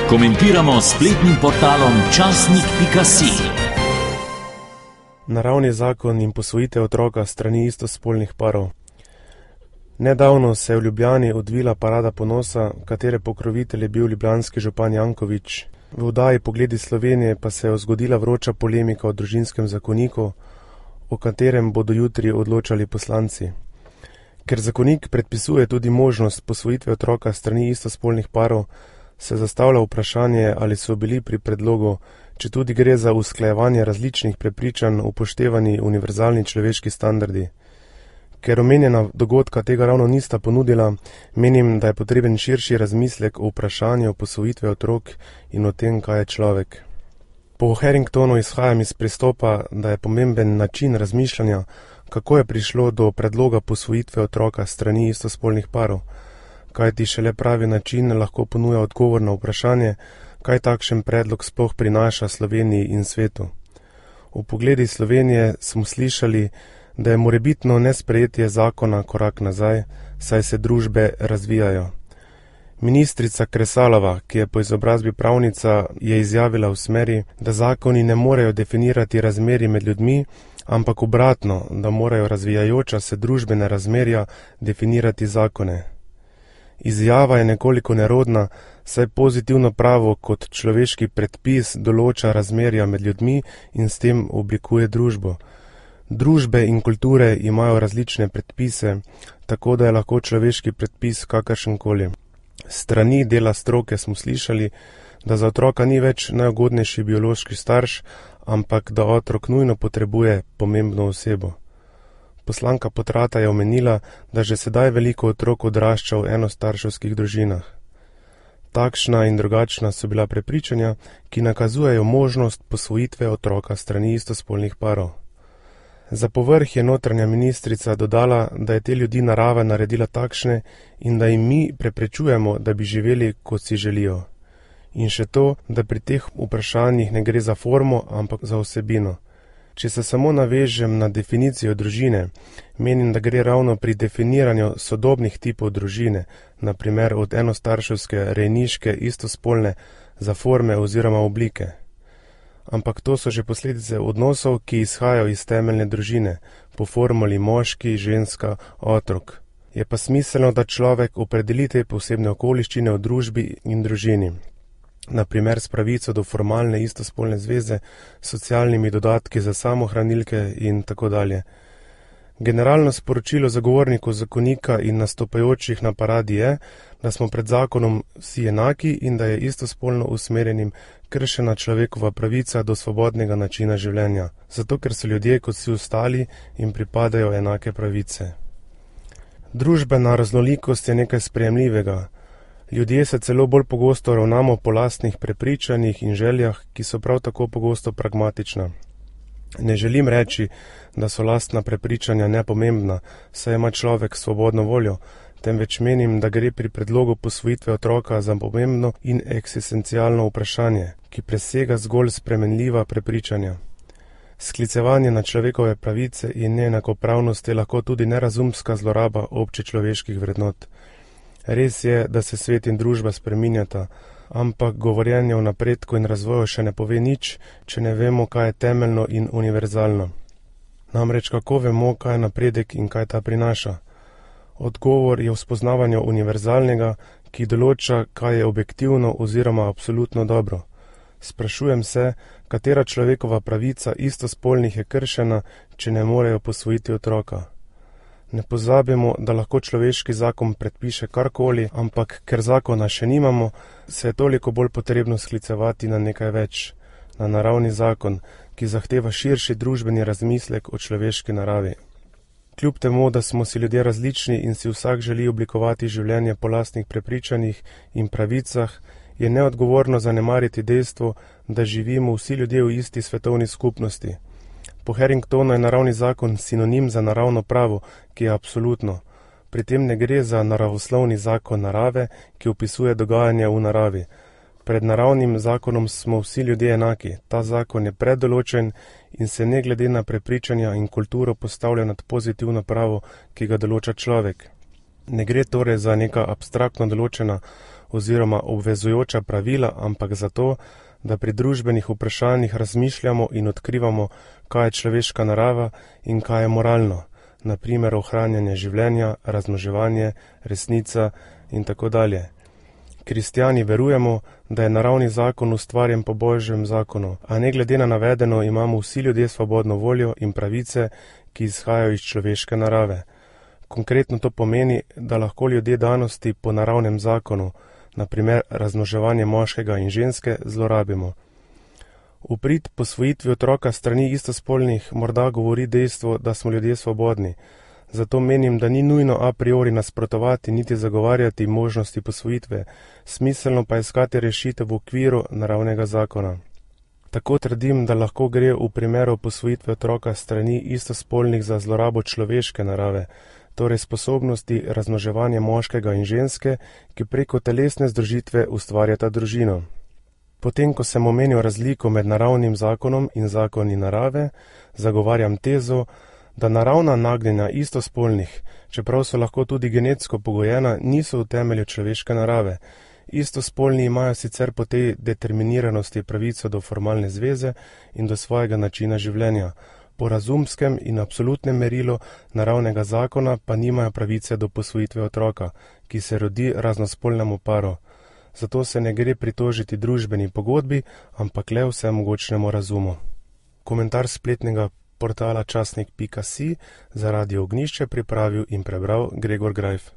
Komentiramo s spletnim portalom časnik.si. Naravni zakon in posvojitev otroka s strani istospolnih parov. Nedavno se je v Ljubljani odvila parada ponosa, katere pokrovitelj je bil ljubljanski župan Janković. V oddaji Pogledi Slovenije pa se je zgodila vroča polemika o družinskem zakoniku, o katerem bodo jutri odločali poslanci. Ker zakonik predpisuje tudi možnost posvojitve otroka s strani istospolnih parov, se zastavlja vprašanje, ali so bili pri predlogu, če tudi gre za usklajevanje različnih prepričanj, upoštevani univerzalni človeški standardi. Ker omenjena dogodka tega ravno nista ponudila, menim, da je potreben širši razmislek o vprašanju posvojitve otrok in o tem, kaj je človek. Po Harringtonu izhajam iz pristopa, da je pomemben način razmišljanja, kako je prišlo do predloga posvojitve otroka s strani istospolnih parov, kajti šele pravi način lahko ponuja odgovor na vprašanje, kaj takšen predlog sploh prinaša Sloveniji in svetu. V Pogledi Slovenije smo slišali, da je morebitno nesprejetje zakona korak nazaj, saj se družbe razvijajo. Ministrica Kresalova, ki je po izobrazbi pravnica, je izjavila v smeri, da zakoni ne morejo definirati razmerij med ljudmi, ampak obratno, da morajo razvijajoča se družbene razmerja definirati zakone. Izjava je nekoliko nerodna, saj pozitivno pravo kot človeški predpis določa razmerja med ljudmi in s tem oblikuje družbo. Družbe in kulture imajo različne predpise, tako da je lahko človeški predpis kakršenkoli. Strani dela stroke smo slišali, da za otroka ni več najugodnejši biološki starš, ampak da otrok nujno potrebuje pomembno osebo. Poslanka Potrata je omenila, da že sedaj veliko otrok odrašča v enostarševskih družinah. Takšna in drugačna so bila prepričanja, ki nakazujejo možnost posvojitve otroka strani istospolnih parov. Za povrh je notranja ministrica dodala, da je te ljudi narava naredila takšne in da jim mi preprečujemo, da bi živeli, kot si želijo. In še to, da pri teh vprašanjih ne gre za formo, ampak za vsebino. Če se samo navežem na definicijo družine, menim, da gre ravno pri definiranju sodobnih tipov družine, naprimer od enostarševske, rejniške, istospolne, za forme oziroma oblike. Ampak to so že posledice odnosov, ki izhajajo iz temeljne družine, po formuli moški, ženska, otrok. Je pa smiselno, da človek opredeli te posebne okoliščine v družbi in družini. Naprimer s pravico do formalne istospolne zveze, socialnimi dodatki za samohranilke in tako dalje. Generalno sporočilo zagovornikov zakonika in nastopajočih na paradi je, da smo pred zakonom vsi enaki in da je istospolno usmerjenim kršena človekova pravica do svobodnega načina življenja, zato ker so ljudje kot vsi ostali in pripadajo enake pravice. Družbena raznolikost je nekaj sprejemljivega. Ljudje se celo bolj pogosto ravnamo po lastnih prepričanjih in željah, ki so prav tako pogosto pragmatična. Ne želim reči, da so lastna prepričanja nepomembna, saj ima človek svobodno voljo, temveč menim, da gre pri predlogu posvojitve otroka za pomembno in eksistencialno vprašanje, ki presega zgolj spremenljiva prepričanja. Sklicevanje na človekove pravice in neenakopravnost je lahko tudi nerazumska zloraba občečloveških vrednot. Res je, da se svet in družba spreminjata, ampak govorjenje o napredku in razvoju še ne pove nič, če ne vemo, kaj je temeljno in univerzalno. Namreč kako vemo, kaj je napredek in kaj ta prinaša? Odgovor je v spoznavanju univerzalnega, ki določa, kaj je objektivno oziroma absolutno dobro. Sprašujem se, katera človekova pravica istospolnih je kršena, če ne morejo posvojiti otroka. Ne pozabimo, da lahko človeški zakon predpiše karkoli, ampak ker zakona še nimamo, se je toliko bolj potrebno sklicevati na nekaj več, na naravni zakon, ki zahteva širši družbeni razmislek o človeški naravi. Kljub temu, da smo si ljudje različni in si vsak želi oblikovati življenje po lastnih prepričanjih in pravicah, je neodgovorno zanemariti dejstvo, da živimo vsi ljudje v isti svetovni skupnosti. Po Harringtonu je naravni zakon sinonim za naravno pravo, ki je absolutno. Pri tem ne gre za naravoslovni zakon narave, ki opisuje dogajanje v naravi. Pred naravnim zakonom smo vsi ljudje enaki. Ta zakon je predoločen in se ne glede na prepričanja in kulturo postavlja nad pozitivno pravo, ki ga določa človek. Ne gre torej za neka abstraktno določena oziroma obvezujoča pravila, ampak zato, da pri družbenih vprašanjih razmišljamo in odkrivamo, kaj je človeška narava in kaj je moralno, na primer ohranjanje življenja, razmnoževanje, resnica in tako dalje. Kristjani verujemo, da je naravni zakon ustvarjen po Božjem zakonu, a ne glede na navedeno imamo vsi ljudje svobodno voljo in pravice, ki izhajajo iz človeške narave. Konkretno to pomeni, da lahko ljudje danosti po naravnem zakonu, na primer razmnoževanje moškega in ženske, zlorabimo. V prid posvojitvi otroka strani istospolnih morda govori dejstvo, da smo ljudje svobodni. Zato menim, da ni nujno a priori nasprotovati niti zagovarjati možnosti posvojitve, smiselno pa iskati rešitev v okviru naravnega zakona. Tako trdim, da lahko gre v primeru posvojitve otroka strani istospolnih za zlorabo človeške narave, torej sposobnosti razmnoževanja moškega in ženske, ki preko telesne združitve ustvarjata družino. Potem, ko sem omenil razliko med naravnim zakonom in zakoni narave, zagovarjam tezo, da naravna nagnjenja istospolnih, čeprav so lahko tudi genetsko pogojena, niso v temelju človeške narave. Istospolni imajo sicer po tej determiniranosti pravico do formalne zveze in do svojega načina življenja. Po razumskem in absolutnem merilu naravnega zakona pa nimajo pravice do posvojitve otroka, ki se rodi raznospolnemu paru. Zato se ne gre pritožiti družbeni pogodbi, ampak le vsemogočnemu razumu. Komentar spletnega portala časnik.si za Radio Ognjišče pripravil in prebral Gregor Grajf.